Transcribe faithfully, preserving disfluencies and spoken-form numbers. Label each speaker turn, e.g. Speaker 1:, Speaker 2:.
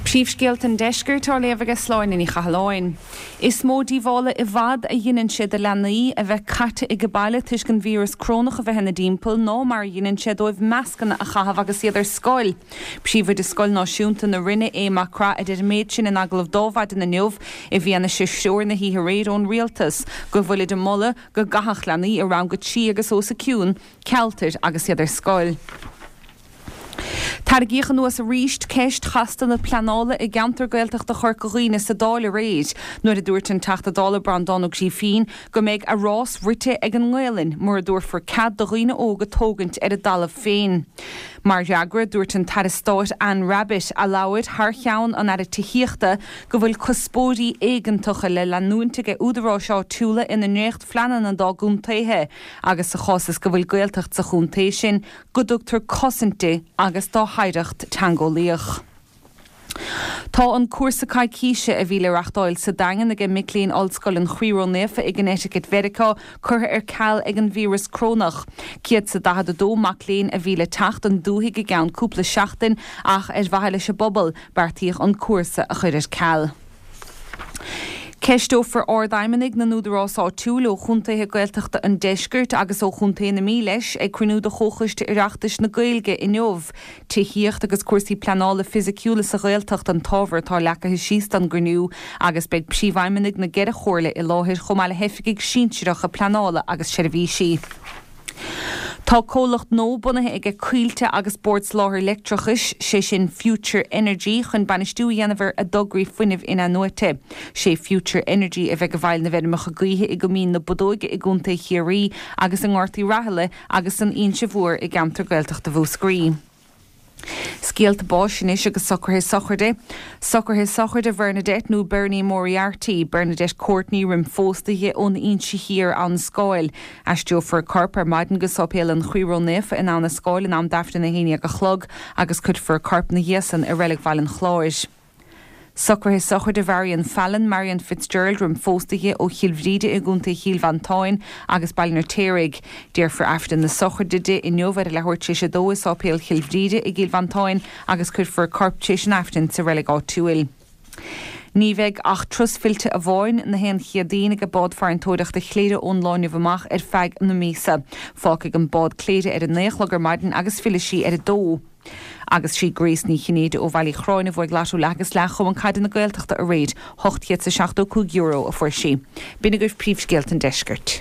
Speaker 1: Príomhscéalta an deiscirt á léamh ag Sláine Ní Chathalláin. Is mó díobhála i bhfad a dhéanann sé do leanaí a bheith caite ag baile toisc an víreas corónach a bheith ina dtimpeall ná mar a dhéanann sé dóibh mascanna a chaitheamh agus iad ar scoil. Príomhoide Scoil Náisiúnta na Rinne Aodh Mac Craith a deir an méid sin in agallamh d'Adhmhaidin inniu i bhfianaise threoir na hoíche aréir ón rialtas go bhfuil ag moladh go gcaithfeadh leanaí i rang a trí agus os a cionn cealtair agus iad ar scoil. Tarraingíodh anuas arís ceist chasta na pleanála i gceantar Gaeltachta Chorca Dhuibhne sa Dáil aréir, nuair a dúirt an Teachta Dála Breandán Ó Grífín go mbeidh a rás rite ag an nGaelainn mura dtabharfar cead do dhaoine óga tógaint ar a dtalamh féin. Mar fhreagra dúirt an tAire Stáit Anne Rabbitte a labhair thar cheann an Aire Tithíochta go bhfuil cuspóirí éigeantacha le leanúint ag údaráis áitiúla ina ndréachtphleananna dá gcontaetha agus sa chás is go bhfuil Gaeltacht sa chontae sin go dtugtar cosaint di agus dá hoidhreacht teangeolaíoch. Tá an cúrsa coicíse a bhí le reáchtáil sa Daingean ag mic léinn Ollscoil an Chroí Ró-Naofa i gConnecticut Mheiriceá curtha ar ceal ag an víreas corónach. Céad is daichead a dó mac léinn a bhí le teacht an dúthaigh i gceann cúpla seachtain ach ar mhaithe leis an bpobal beartaíodh an cúrsa a chur ar ceal. Ceisteofar ardfheidhmeannaigh na n-údarás áitiúil ó chontaetha Gaeltachta an deiscirt agus ó chontae na Mí leis ag cruinniú de Chomhchoiste Oireachtais na Gaeilge inniu. Tithíocht agus cúrsaí pleanála fisiciúla sa Ghaeltacht an t-ábhar atá leagtha síos don gcruinniú agus beidh príomhfheidhmeannaigh na gceithre chomhairle i láthair chomh maith le hoifigigh sinsearacha pleanála agus seirbhísí. Tá comhlacht nua bunaithe aige Coillte agus Bord Soláthair Leictreachais sé sin Future Energy chun bainistiú a dhéanamh ar a dtograí fuinnimh in-athnuaite. Sé Future Energy a bheidh i bhfeighil na bhfeirmeacha gaoithe i gCoimín na Bodóige i gContae Chiarraí agus i nGort Uí Raghallaigh agus san Inse Mhór i gceantar Gaeltachta Mhúscraí. Scéalta báis anois agus socruithe sochraide. Socruithe sochraide Bernadette nó Bernie Moriarty, Bernadette Courtney roimh phósadh di ón Inse Thiar Abha na Scáil. Aistreofar a corp ar maidin go Séipéal an Chroí Ró-Naofa in Abha na Scáil in am d'Aifreann a haon déag a chlog agus cuirfear a corp ina dhiaidh san i Reilig Bhaile an Chláir. Socruithe sochraide Marion Fallon, Marion Fitzgerald roimh phósadh di ó Chill Bhríde i gContae Chill Mhantáin agus Baile an Fheirtéaraigh. Déarfar Aifreann na sochraide di inniu ar a leathuair tar éis a dó i Séipéal Chill Bhríde i gCill Mhantáin agus cuirfear a corp tar éis an Aifrinn sa reilig áitiúil. Ní bheidh ach turas fillte amháin na haon Chéadaoin ag bád farantóireachta Chléire ón lá inniu amach ar feadh na míosa. Fágfaidh an bád Cléire ar a naoi a chlog ar maidin agus fillfidh sí ar a dó. Agus sí Grace Ní Chinnéide ó Bhaile Uí Chorráin a bhuaigh lotto leath agus leath Chumann Caide na Gaeltachta aréir, ocht chéad is seachtó cúig euro a fuair sí. B'in agaibh príomhscéalta an deiscirt.